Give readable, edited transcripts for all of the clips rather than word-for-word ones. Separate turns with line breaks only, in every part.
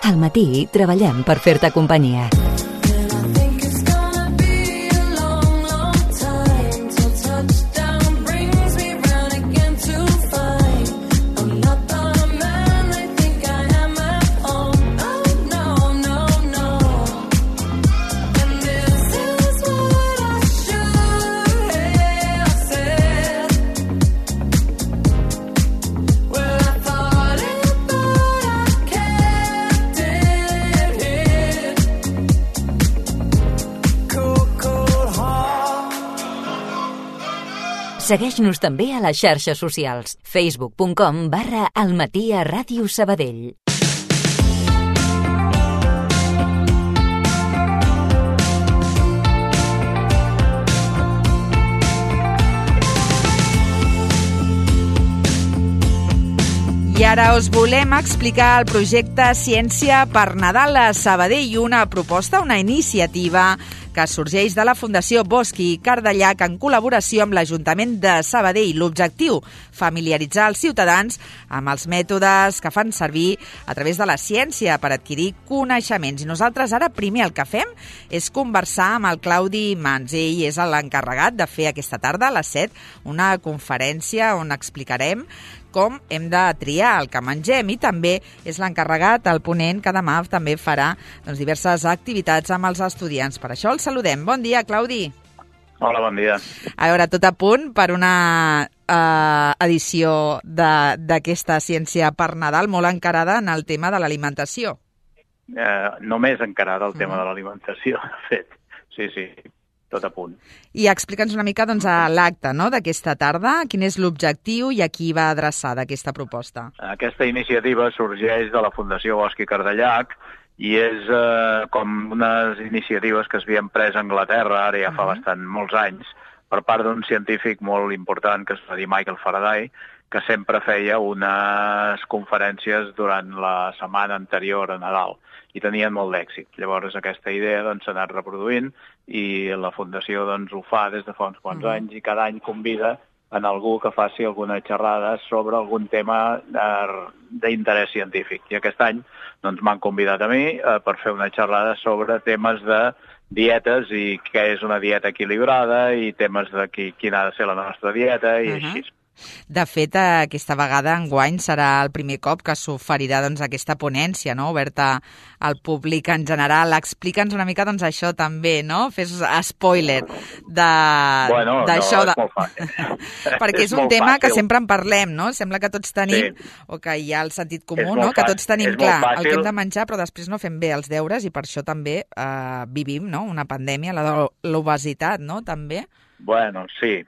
Al matí treballem per fer-te companyia. Segueix-nos també a les xarxes socials. facebook.com/almatí@radiosabadell.
I ara us volem explicar el projecte Ciència per Nadal a Sabadell, una proposta, una iniciativa que sorgeix de la Fundació Bosch i Cardellac en col·laboració amb l'Ajuntament de Sabadell. L'objectiu, familiaritzar els ciutadans amb els mètodes que fan servir a través de la ciència per adquirir coneixements. I nosaltres ara primer el que fem és conversar amb el Claudi Mans. Ell és l'encarregat de fer aquesta tarda a les 7 una conferència on explicarem com hem de triar el que mengem, i també és l'encarregat, el ponent, que demà també farà diverses activitats amb els estudiants. Per això el saludem. Bon dia, Claudi.
Hola, bon dia.
A veure, tot a punt per una edició d'aquesta Ciència per Nadal molt encarada en el tema de l'alimentació.
Només encarada el tema de l'alimentació, de fet. Sí, tot a punt.
I explica'ns una mica a l'acte, no?, d'aquesta tarda. Quin és l'objectiu i a qui va adreçada aquesta proposta?
Aquesta iniciativa sorgeix de la Fundació Bosch i Cardellac i és com unes iniciatives que s'havien pres a Anglaterra, ara ja fa molts anys, per part d'un científic molt important que es va dir Michael Faraday, que sempre feia unes conferències durant la setmana anterior a Nadal i tenien molt d'èxit. Llavors aquesta idea s'ha anat reproduint i la Fundació ho fa des de fa uns quants anys i cada any convida en algú que faci alguna xerrada sobre algun tema d'interès científic. I aquest any m'han convidat a mi per fer una xerrada sobre temes de dietes i què és una dieta equilibrada i temes de quina ha de ser la nostra dieta i així.
De fet, aquesta vegada, enguany, serà el primer cop que s'oferirà aquesta ponència, no?, oberta al públic en general. Explica'ns una mica això també, no? Fes spoiler d'això.
Bueno, no, és molt fàcil.
Perquè és un tema que sempre en parlem, no? Sembla que tots tenim, o que hi ha el sentit comú, no?, que tots tenim clar el que hem de menjar, però després no fem bé els deures i per això també vivim, no?, una pandèmia, la de l'obesitat, no?, també.
Bueno, sí,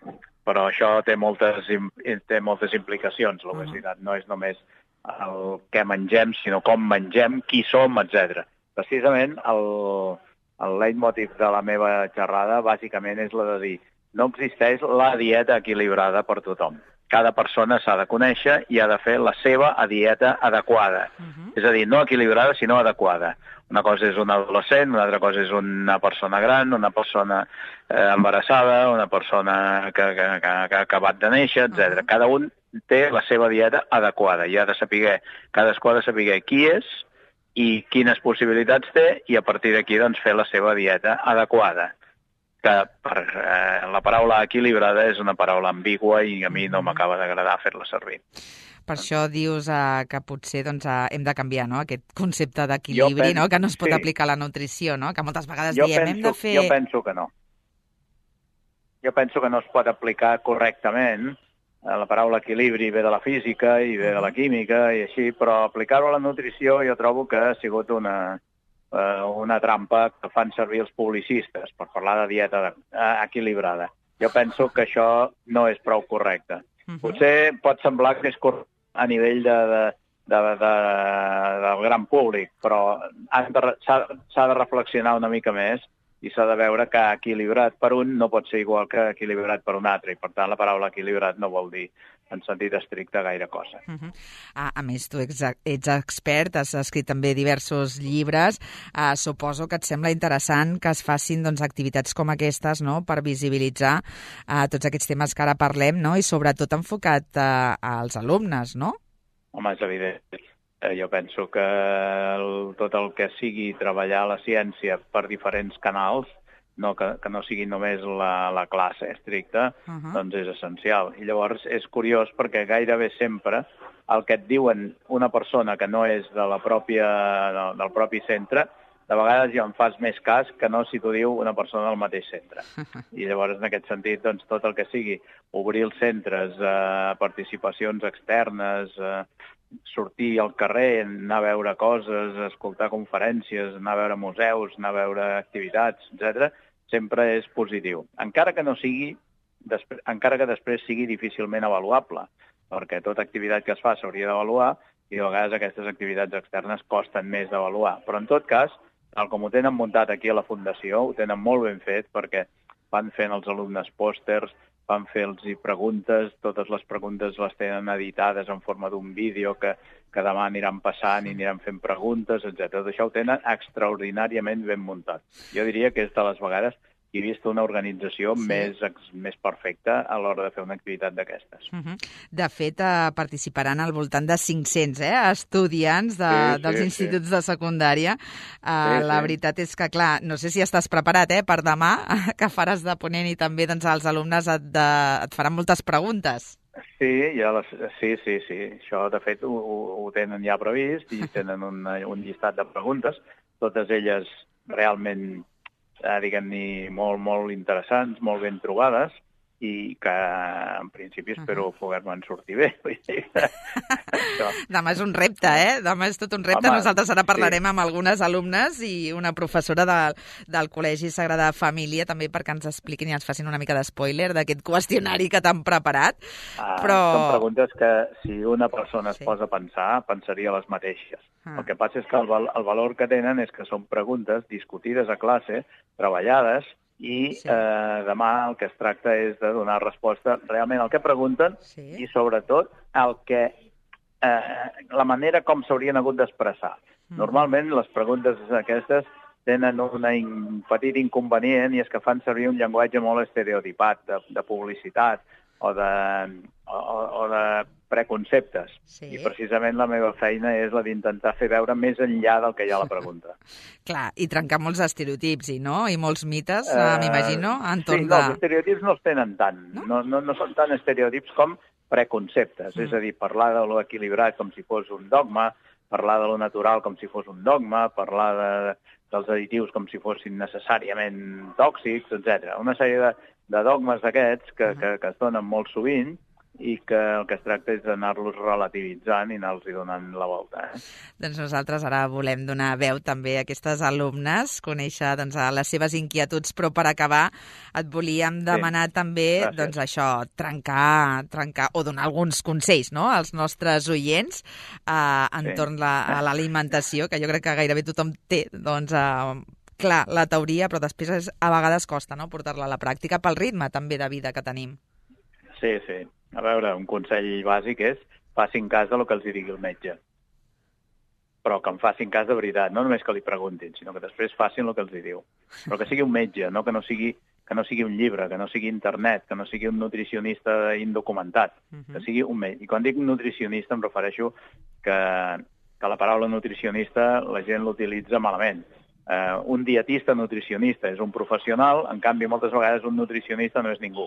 però això té moltes implicacions, l'obesitat. No és només el que mengem, sinó com mengem, qui som, etc. Precisament el leitmotiv de la meva xerrada bàsicament és la de dir no existeix la dieta equilibrada per tothom. Cada persona s'ha de conèixer i ha de fer la seva dieta adequada. És a dir, no equilibrada, sinó adequada. Una cosa és un adolescent, una altra cosa és una persona gran, una persona embarassada, una persona que ha acabat de néixer, etc. Cada un té la seva dieta adequada i cadascú ha de saber qui és i quines possibilitats té i a partir d'aquí fer la seva dieta adequada. Que la paraula equilibrada és una paraula ambigua i a mi no m'acaba d'agradar fer-la servir.
Per això dius que potser hem de canviar, no?, aquest concepte d'equilibri, no?, que no es pot aplicar a la nutrició, no?, que moltes vegades diem hem de fer...
Jo penso que no. Jo penso que no es pot aplicar correctament. La paraula equilibri ve de la física i ve de la química i així, però aplicar-ho a la nutrició jo trobo que ha sigut una trampa que fan servir els publicistes per parlar de dieta equilibrada. Jo penso que això no és prou correcte. Potser pot semblar que és correcte a nivell del gran públic, però s'ha de reflexionar una mica més i s'ha de veure que equilibrat per un no pot ser igual que equilibrat per un altre, i per tant la paraula equilibrat no vol dir en sentit estricte gaire cosa.
A més, tu ets expert, has escrit també diversos llibres. Suposo que et sembla interessant que es facin activitats com aquestes, no?, per visibilitzar tots aquests temes que ara parlem, no?, i sobretot enfocat als alumnes, no?
Home, és evident. Jo penso que tot el que sigui treballar la ciència per diferents canals, que no sigui només la classe estricta, doncs és essencial. I llavors és curiós perquè gairebé sempre el que et diuen una persona que no és del propi centre, de vegades ja en fas més cas que no si t'ho diu una persona del mateix centre. I llavors, en aquest sentit, doncs, tot el que sigui obrir els centres, participacions externes, sortir al carrer, anar a veure coses, escoltar conferències, anar a veure museus, anar a veure activitats, etc., sempre és positiu. Encara que després sigui difícilment avaluable, perquè tota activitat que es fa s'hauria d'avaluar i de vegades aquestes activitats externes costen més d'avaluar. Però en tot cas, tal com ho tenen muntat aquí a la Fundació, ho tenen molt ben fet perquè van fent els alumnes pòsters, van fer-los preguntes, totes les preguntes les tenen editades en forma d'un vídeo que demà aniran passant i aniran fent preguntes, etc. Tot això ho tenen extraordinàriament ben muntat. Jo diria que és de les vegades he vist una organització més perfecta a l'hora de fer una activitat d'aquestes.
De fet, participaran al voltant de 500 estudiants dels instituts de secundària. La veritat és que, clar, no sé si estàs preparat per demà, que faràs de ponent i també els alumnes et faran moltes preguntes.
Sí. Això, de fet, ho tenen ja previst i tenen un llistat de preguntes, totes elles realment diguem-ne, molt, molt interessants, molt ben trobades, i que, en principi, espero poder-me'n sortir bé.
Demà és un repte, Demà és tot un repte. Home, nosaltres ara parlarem amb algunes alumnes i una professora del Col·legi Sagrada Família, també perquè ens expliquin i ens facin una mica d'espoiler d'aquest qüestionari que t'han preparat.
Són preguntes que, si una persona es posa a pensar, pensaria les mateixes. El que passa és que el valor que tenen és que són preguntes discutides a classe, treballades, i demà el que es tracta és de donar resposta realment al que pregunten i, sobretot, la manera com s'haurien hagut d'expressar. Normalment, les preguntes aquestes tenen un petit inconvenient i és que fan servir un llenguatge molt estereotipat de publicitat o de preconceptes. I precisament la meva feina és la d'intentar fer veure més enllà del que hi ha a la pregunta.
Clar, i trencar molts estereotips, i molts mites, m'imagino, entorn
de... Sí, els estereotips no els tenen tant. No són tan estereotips com preconceptes. És a dir, parlar de lo equilibrat com si fos un dogma, parlar de lo natural com si fos un dogma, parlar dels additius com si fossin necessàriament tòxics, etc. Una sèrie de dogmes d'aquests que es donen molt sovint i que el que es tracta és d'anar-los relativitzant i anar-los donant la volta.
Doncs nosaltres ara volem donar veu també a aquestes alumnes, conèixer les seves inquietuds, però per acabar et volíem demanar també això, trencar o donar alguns consells als nostres oients entorn a l'alimentació, que jo crec que gairebé tothom té clar, la teoria, però després a vegades costa portar-la a la pràctica pel ritme també de vida que tenim.
Sí. A veure, un consell bàsic és facin cas del que els digui el metge. Però que en facin cas de veritat, no només que li preguntin, sinó que després facin el que els diu. Però que sigui un metge, no que no sigui un llibre, que no sigui internet, que no sigui un nutricionista indocumentat, que sigui un metge. I quan dic nutricionista em refereixo que la paraula nutricionista la gent l'utilitza malament. Un dietista nutricionista és un professional, en canvi moltes vegades un nutricionista no és ningú.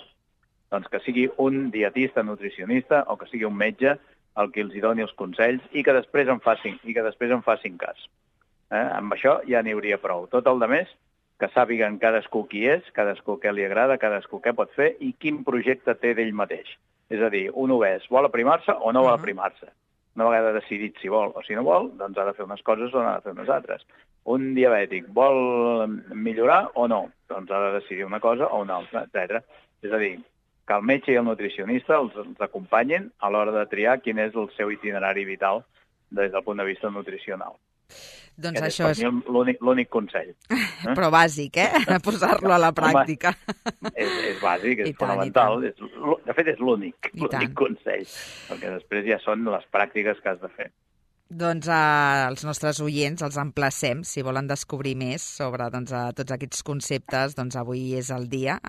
Doncs que sigui un dietista nutricionista o que sigui un metge el que els doni els consells i que després en facin cas. Amb això ja n'hi hauria prou. Tot el demés, que sàpiguen cadascú qui és, cadascú què li agrada, cadascú què pot fer i quin projecte té d'ell mateix. És a dir, un obès vol aprimar-se o no vol aprimar-se. Una vegada decidit si vol o si no vol, doncs ha de fer unes coses o n'ha de fer unes altres. Un diabètic vol millorar o no? Doncs ha de decidir una cosa o una altra, etc. És a dir, que el metge i el nutricionista els acompanyin a l'hora de triar quin és el seu itinerari vital des del punt de vista nutricional.
Doncs això és
l'únic consell.
Però bàsic, posar-lo a la pràctica.
És bàsic, és fonamental. De fet, és l'únic consell, perquè després ja són les pràctiques que has de fer.
Doncs als nostres oients els emplacem, si volen descobrir més sobre tots aquests conceptes, doncs avui és el dia.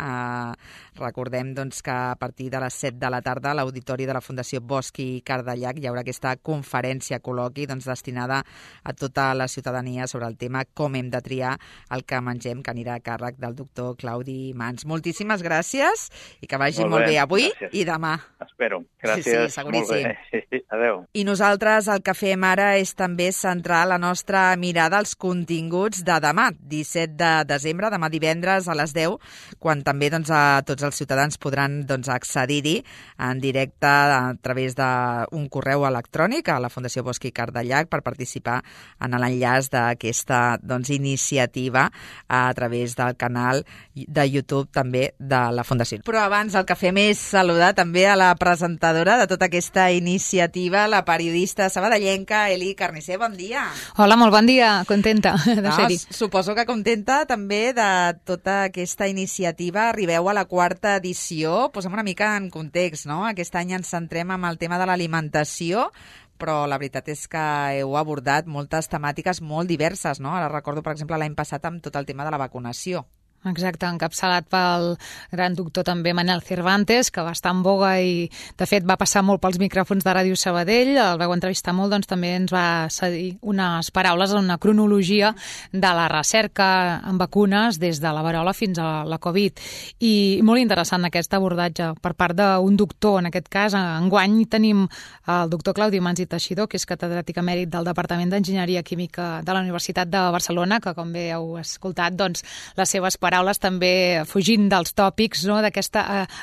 Recordem que a partir de les 7 de la tarda a l'Auditori de la Fundació Bosch i Cardallac hi haurà aquesta conferència col·loqui destinada a tota la ciutadania sobre el tema com hem de triar el que mengem, que anirà a càrrec del doctor Claudi Mans. Moltíssimes gràcies i que vagi molt bé avui i demà.
Espero. Gràcies.
Sí, seguríssim.
Molt bé. Adéu.
I nosaltres el que fem ara és també centrar la nostra mirada als continguts de demà, 17 de desembre, demà divendres a les 10, quan també a tots els ciutadans podran accedir-hi en directe a través d'un correu electrònic a la Fundació Bosch i Cardallac per participar en l'enllaç d'aquesta iniciativa a través del canal de YouTube també de la Fundació. Però abans el que fem és saludar també a la presentadora de tota aquesta iniciativa, la periodista sabadellenca Eli Carnicer. Bon dia.
Hola, molt bon dia. Contenta de ser-hi.
Suposo que contenta també de tota aquesta iniciativa. Arribeu a la 4ª edició. Posem una mica en context, no? Aquest any ens centrem en el tema de l'alimentació, però la veritat és que heu abordat moltes temàtiques molt diverses, no? Ara recordo, per exemple, l'any passat amb tot el tema de la vacunació.
Exacte, encapçalat pel gran doctor també Manel Cervantes, que va estar en boga i, de fet, va passar molt pels micròfons de Ràdio Sabadell. El vau entrevistar molt, també ens va cedir unes paraules, una cronologia de la recerca en vacunes des de la verola fins a la Covid. I molt interessant aquest abordatge per part d'un doctor, en aquest cas. Enguany tenim el doctor Claudi Mans i Teixidor, que és catedràtic emèrit del Departament d'Enginyeria Química de la Universitat de Barcelona, que, com bé heu escoltat, les seves paraules també fugint dels tòpics, no? D'aquest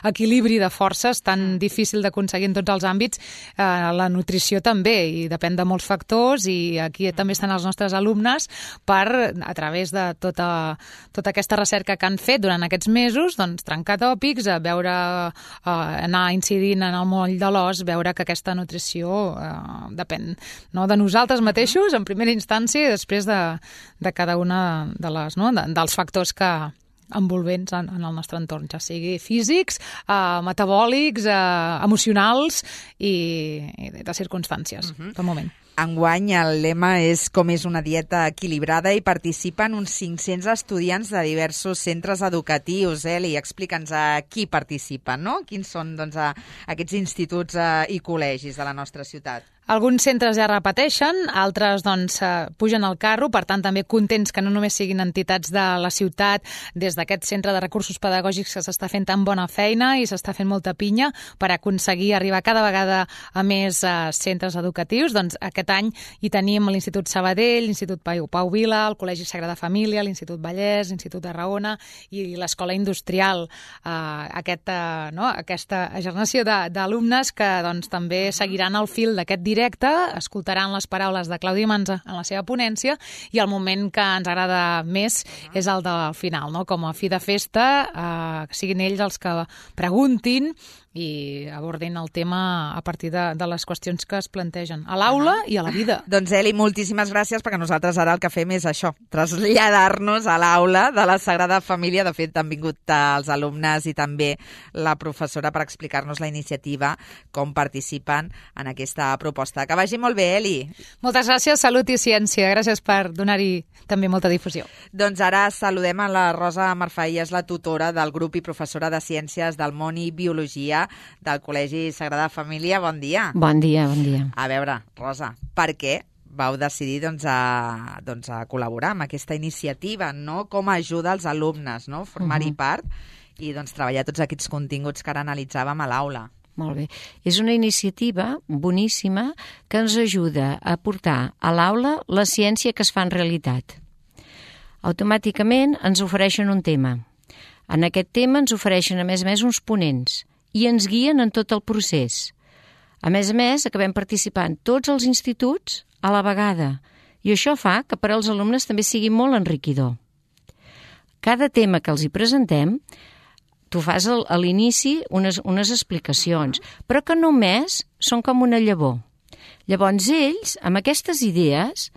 equilibri de forces tan difícil d'aconseguir en tots els àmbits. La nutrició també, i depèn de molts factors, i aquí també estan els nostres alumnes per, a través de tota aquesta recerca que han fet durant aquests mesos, trencar tòpics, anar incidint en el moll de l'os, veure que aquesta nutrició depèn de nosaltres mateixos, en primera instància, i després de cada una dels factors que envolvents en el nostre entorn, ja sigui físics, metabòlics, emocionals i de circumstàncies, del moment.
Enguany el lema és com és una dieta equilibrada i participen uns 500 estudiants de diversos centres educatius. Eli, explica'ns a qui participen, no? Quins són aquests instituts i col·legis de la nostra ciutat?
Alguns centres ja repeteixen, altres pugen al carro, per tant també contents que no només siguin entitats de la ciutat, des d'aquest centre de recursos pedagògics que s'està fent tan bona feina i s'està fent molta pinya per aconseguir arribar cada vegada a més centres educatius. Aquest any hi tenim l'Institut Sabadell, l'Institut Pau Vila, el Col·legi Sagrada Família, l'Institut Vallès, l'Institut Tarragona i l'Escola Industrial. Aquesta generació d'alumnes que també seguiran el fil d'aquest directe, escoltaran les paraules de Claudi Mans en la seva ponència, i el moment que ens agrada més és el del final, no? Com a fi de festa, que siguin ells els que preguntin i abordin el tema a partir de les qüestions que es plantegen a l'aula i a la vida.
Doncs Eli, moltíssimes gràcies, perquè nosaltres ara el que fem és això, traslladar-nos a l'aula de la Sagrada Família. De fet, han vingut els alumnes i també la professora per explicar-nos la iniciativa, com participen en aquesta proposta. Que vagi molt bé, Eli.
Moltes gràcies, salut i ciència. Gràcies per donar-hi també molta difusió.
Doncs ara saludem a la Rosa Marfà, és la tutora del grup i professora de Ciències del Món i Biologia del Col·legi Sagrada Família. Bon dia.
Bon dia, bon dia.
A veure, Rosa, per què vau decidir a col·laborar amb aquesta iniciativa, no? Com ajuda als alumnes, no? Formar-hi part i treballar tots aquests continguts que ara analitzàvem a l'aula.
Molt bé. És una iniciativa boníssima que ens ajuda a portar a l'aula la ciència que es fa en realitat. Automàticament ens ofereixen un tema. En aquest tema ens ofereixen, a més, uns ponents i ens guien en tot el procés. A més, acabem participant tots els instituts a la vegada, i això fa que per als alumnes també sigui molt enriquidor. Cada tema que els hi presentem, tu fas a l'inici unes explicacions, però que només són com una llavor. Llavors ells, amb aquestes idees,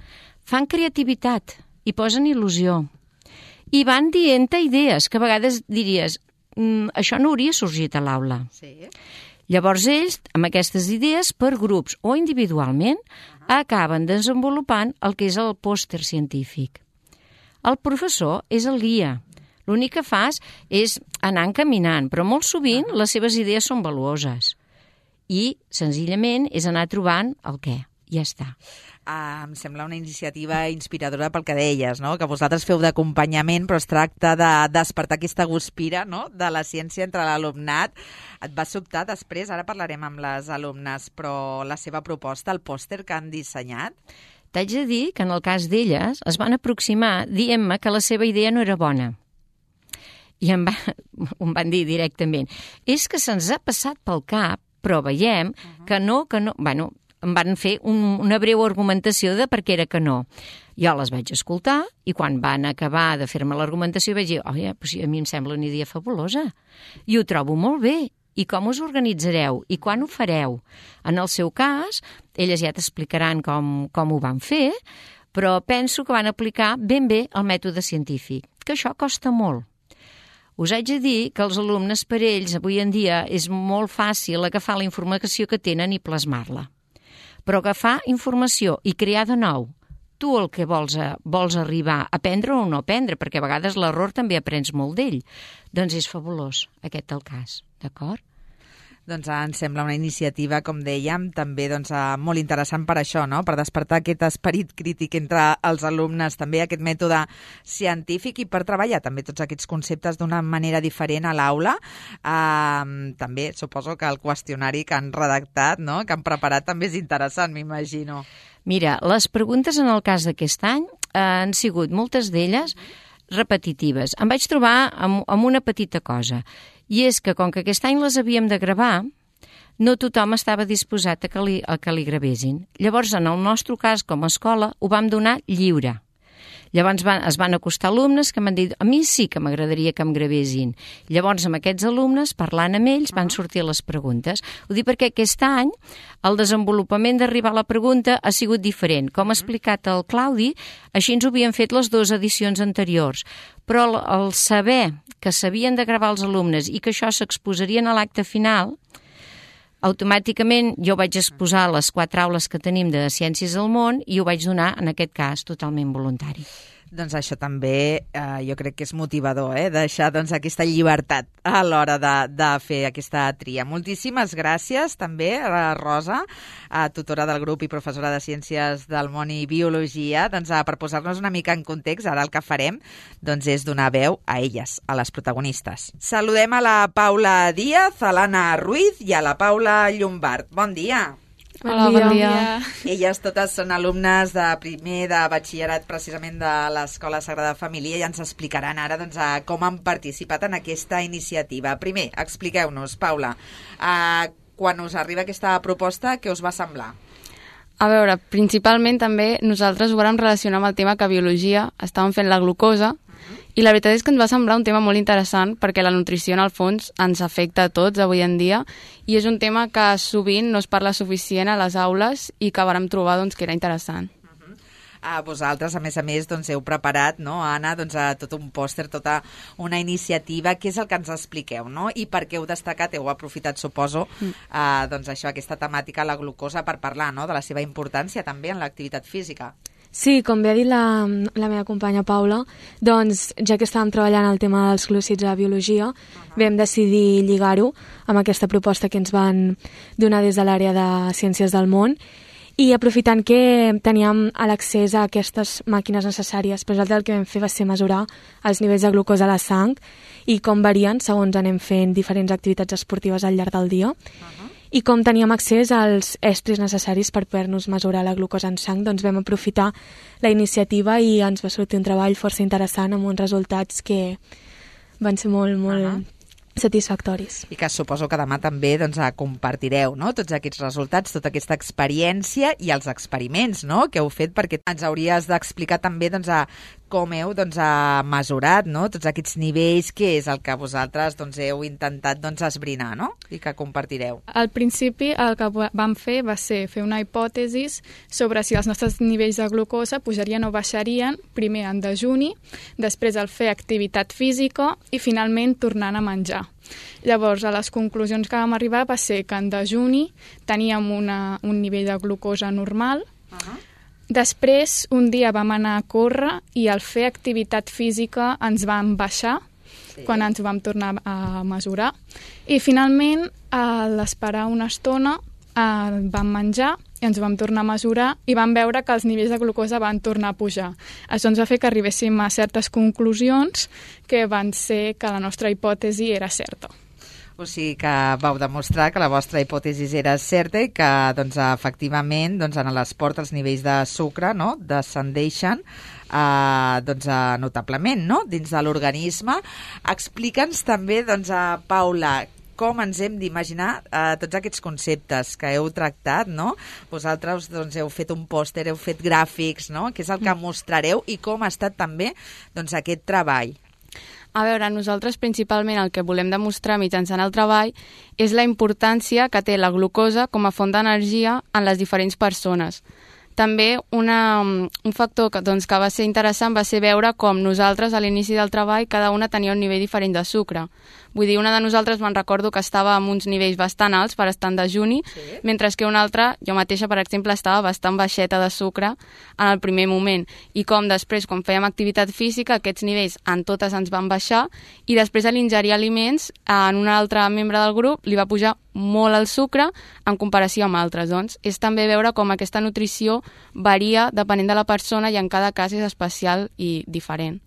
fan creativitat i posen il·lusió. I van dient idees que a vegades diries això no hauria sorgit a l'aula.
Sí.
Llavors ells, amb aquestes idees, per grups o individualment, acaben desenvolupant el que és el pòster científic. El professor és el guia. L'únic que fas és anar encaminant, però molt sovint les seves idees són valuoses. I, senzillament, és anar trobant el què. Ja està.
Em sembla una iniciativa inspiradora pel que deies, no? Que vosaltres feu d'acompanyament, però es tracta de despertar aquesta guspira, no? De la ciència entre l'alumnat. Et va sobtar després, ara parlarem amb les alumnes, però la seva proposta, el pòster que han dissenyat?
T'haig de dir que en el cas d'elles es van aproximar dient-me que la seva idea no era bona. I em van dir directament, és que se'ns ha passat pel cap, però veiem que no... Bueno, em van fer una breu argumentació de per què era que no. Jo les vaig escoltar i quan van acabar de fer-me l'argumentació vaig dir, pues a mi em sembla una idea fabulosa i ho trobo molt bé. I com us organitzareu? I quan ho fareu? En el seu cas, elles ja t'explicaran com ho van fer, però penso que van aplicar ben bé el mètode científic, que això costa molt. Us haig de dir que els alumnes per ells avui en dia és molt fàcil agafar la informació que tenen i plasmar-la. Però agafar informació i crear de nou, tu el que vols arribar a aprendre o no aprendre, perquè a vegades l'error també aprens molt d'ell, doncs és fabulós aquest el cas, d'acord?
Doncs em sembla una iniciativa, com dèiem, també molt interessant per això, no? Per despertar aquest esperit crític entre els alumnes, també aquest mètode científic i per treballar també tots aquests conceptes d'una manera diferent a l'aula. També suposo que el qüestionari que han redactat, no? Que han preparat, també és interessant, m'imagino.
Mira, les preguntes en el cas d'aquest any han sigut moltes d'elles repetitives. Em vaig trobar amb una petita cosa, i és que com que aquest any les havíem de gravar, no tothom estava disposat a que li gravessin. Llavors, en el nostre cas, com a escola, ho vam donar lliure. Llavors es van acostar alumnes que m'han dit a mi sí que m'agradaria que em gravessin. Llavors, amb aquests alumnes, parlant amb ells, van sortir les preguntes. Ho dic perquè aquest any el desenvolupament d'arribar a la pregunta ha sigut diferent. Com ha explicat el Claudi, així ens ho havien fet les 2 edicions anteriors. Però el saber que s'havien de gravar els alumnes i que això s'exposarien a l'acte final, automàticament jo vaig exposar les 4 aules que tenim de Ciències del Món i ho vaig donar, en aquest cas, totalment voluntari.
Doncs això també jo crec que és motivador, deixar aquesta llibertat a l'hora de fer aquesta tria. Moltíssimes gràcies també a la Rosa, tutora del grup i professora de Ciències del Món i Biologia, per posar-nos una mica en context. Ara el que farem és donar veu a elles, a les protagonistes. Saludem a la Paula Díaz, a l'Anna Ruiz i a la Paula Llombard. Bon dia!
Hola, bon dia.
Elles totes són alumnes de primer de batxillerat precisament de l'Escola Sagrada Família i ens explicaran ara com han participat en aquesta iniciativa. Primer, expliqueu-nos, Paula, quan us arriba aquesta proposta, què us va semblar?
A veure, principalment també nosaltres ho vam relacionar amb el tema que a Biologia estàvem fent la glucosa i la veritat és que ens va semblar un tema molt interessant perquè la nutrició en el fons ens afecta a tots avui en dia i és un tema que sovint no es parla suficient a les aules i que vàrem trobar que era interessant.
Vosaltres, a més, heu preparat, no, Anna, tot un pòster, tota una iniciativa. Què és el que ens expliqueu, no? I per què heu destacat, heu aprofitat, suposo, això, aquesta temàtica, la glucosa, per parlar, no?, de la seva importància també en l'activitat física.
Sí, com bé ha dit la meva companya Paula, ja que estàvem treballant el tema dels glúcids a Biologia, vam decidir lligar-ho amb aquesta proposta que ens van donar des de l'àrea de Ciències del Món i aprofitant que teníem l'accés a aquestes màquines necessàries, però el que vam fer va ser mesurar els nivells de glucosa a la sang i com varien segons anem fent diferents activitats esportives al llarg del dia. I com teníem accés als estris necessaris per poder-nos mesurar la glucosa en sang, vam aprofitar la iniciativa i ens va sortir un treball força interessant amb uns resultats que van ser molt satisfactoris.
I que suposo que demà també compartireu, no?, tots aquests resultats, tota aquesta experiència i els experiments, no?, que heu fet, perquè ens hauries d'explicar també com heu mesurat, no? Tots aquests nivells, què és el que vosaltres heu intentat esbrinar, no? I que compartireu.
Al principi el que vam fer va ser fer una hipòtesi sobre si els nostres nivells de glucosa pujarien o baixarien, primer en dejuni, després al fer activitat física i finalment tornant a menjar. Llavors, a les conclusions que vam arribar va ser que en dejuni teníem un nivell de glucosa normal. Després, un dia vam anar a córrer i al fer activitat física ens vam baixar, quan ens ho vam tornar a mesurar. I finalment, a l'esperar una estona, vam menjar i ens ho vam tornar a mesurar i vam veure que els nivells de glucosa van tornar a pujar. Això ens va fer que arribéssim a certes conclusions que van ser que la nostra hipòtesi era certa.
O sigui que vau demostrar que la vostra hipòtesi era certa i que efectivament en l'esport els nivells de sucre descendeixen notablement dins de l'organisme. Explica'ns també, Paula, com ens hem d'imaginar tots aquests conceptes que heu tractat, no? Vosaltres heu fet un pòster, heu fet gràfics, no? Què és el que mostrareu i com ha estat també aquest treball?
A veure, nosaltres principalment el que volem demostrar mitjançant el treball és la importància que té la glucosa com a font d'energia en les diferents persones. També un factor que va ser interessant va ser veure com nosaltres a l'inici del treball cada una tenia un nivell diferent de sucre. Vull dir, una de nosaltres me'n recordo que estava amb uns nivells bastant alts per estar en dejuni, mentre que una altra, jo mateixa, per exemple, estava bastant baixeta de sucre en el primer moment. I com després, quan fèiem activitat física, aquests nivells en totes ens van baixar i després a l'ingerir aliments, en un altre membre del grup li va pujar molt el sucre en comparació amb altres. Doncs és també veure com aquesta nutrició varia depenent de la persona i en cada cas és especial i diferent.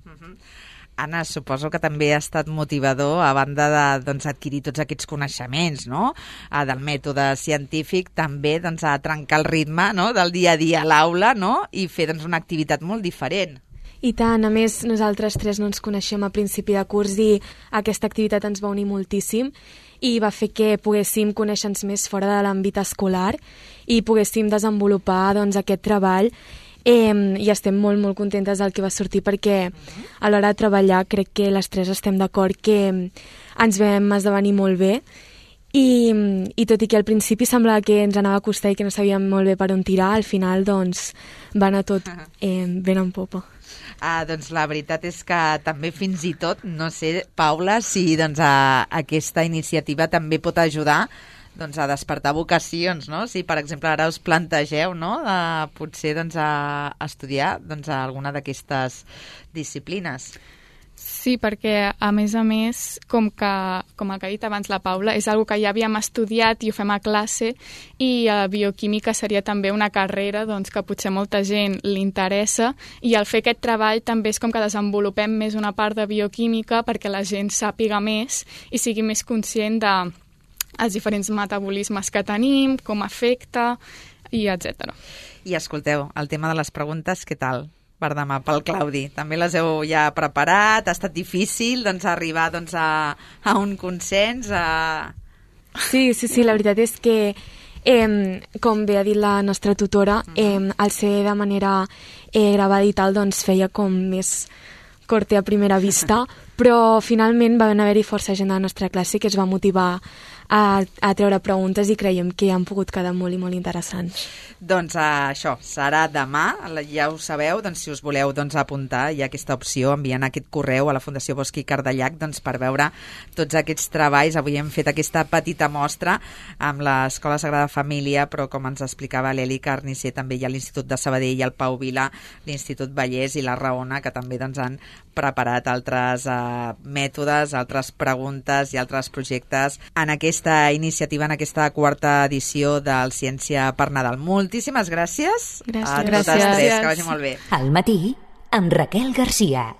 Anna, suposo que també ha estat motivador, a banda d'adquirir tots aquests coneixements, no? Del mètode científic, també a trencar el ritme del dia a dia a l'aula, no? I fer una activitat molt diferent.
I tant, a més nosaltres tres no ens coneixem a principi de curs i aquesta activitat ens va unir moltíssim i va fer que poguéssim conèixer-nos més fora de l'àmbit escolar i poguéssim desenvolupar aquest treball. I estem molt, molt contentes del que va sortir perquè a l'hora de treballar crec que les tres estem d'acord que ens vam esdevenir molt bé i tot i que al principi semblava que ens anava a costar i que no sabíem molt bé per on tirar, al final va anar tot ben en popa.
Doncs la veritat és que també fins i tot, no sé, Paula, si aquesta iniciativa també pot ajudar a despertar vocacions, no? Si, per exemple, ara us plantegeu, no?, potser a estudiar alguna d'aquestes disciplines.
Sí, perquè, a més, com el que ha dit abans la Paula, és una que ja havíem estudiat i ho fem a classe i bioquímica seria també una carrera que potser molta gent li interessa i al fer aquest treball també és com que desenvolupem més una part de bioquímica perquè la gent sàpiga més i sigui més conscient de els diferents metabolismes que tenim, com afecta, i etc.
I escolteu, el tema de les preguntes, què tal per demà pel Claudi? També les heu ja preparat? Ha estat difícil arribar a un consens?
Sí, la veritat és que, com bé ha dit la nostra tutora, al ser de manera gravada i tal, feia com més corte a primera vista, però finalment va haver-hi força gent de la nostra classe que es va motivar a treure preguntes i creiem que han pogut quedar molt i molt interessants.
Doncs això serà demà, ja ho sabeu, si us voleu apuntar, hi ha aquesta opció, enviant aquest correu a la Fundació Bosch i Cardellac per veure tots aquests treballs. Avui hem fet aquesta petita mostra amb l'Escola Sagrada Família, però com ens explicava l'Eli Carnicer, també hi ha l'Institut de Sabadell, el Pau Vila, l'Institut Vallès i la Raona, que també han preparat altres mètodes, altres preguntes i altres projectes en aquesta iniciativa, en aquesta quarta edició del Ciència per Nadal. Moltíssimes gràcies.
Gràcies.
A totes tres, que vagi molt bé.
Al matí, amb Raquel Garcia.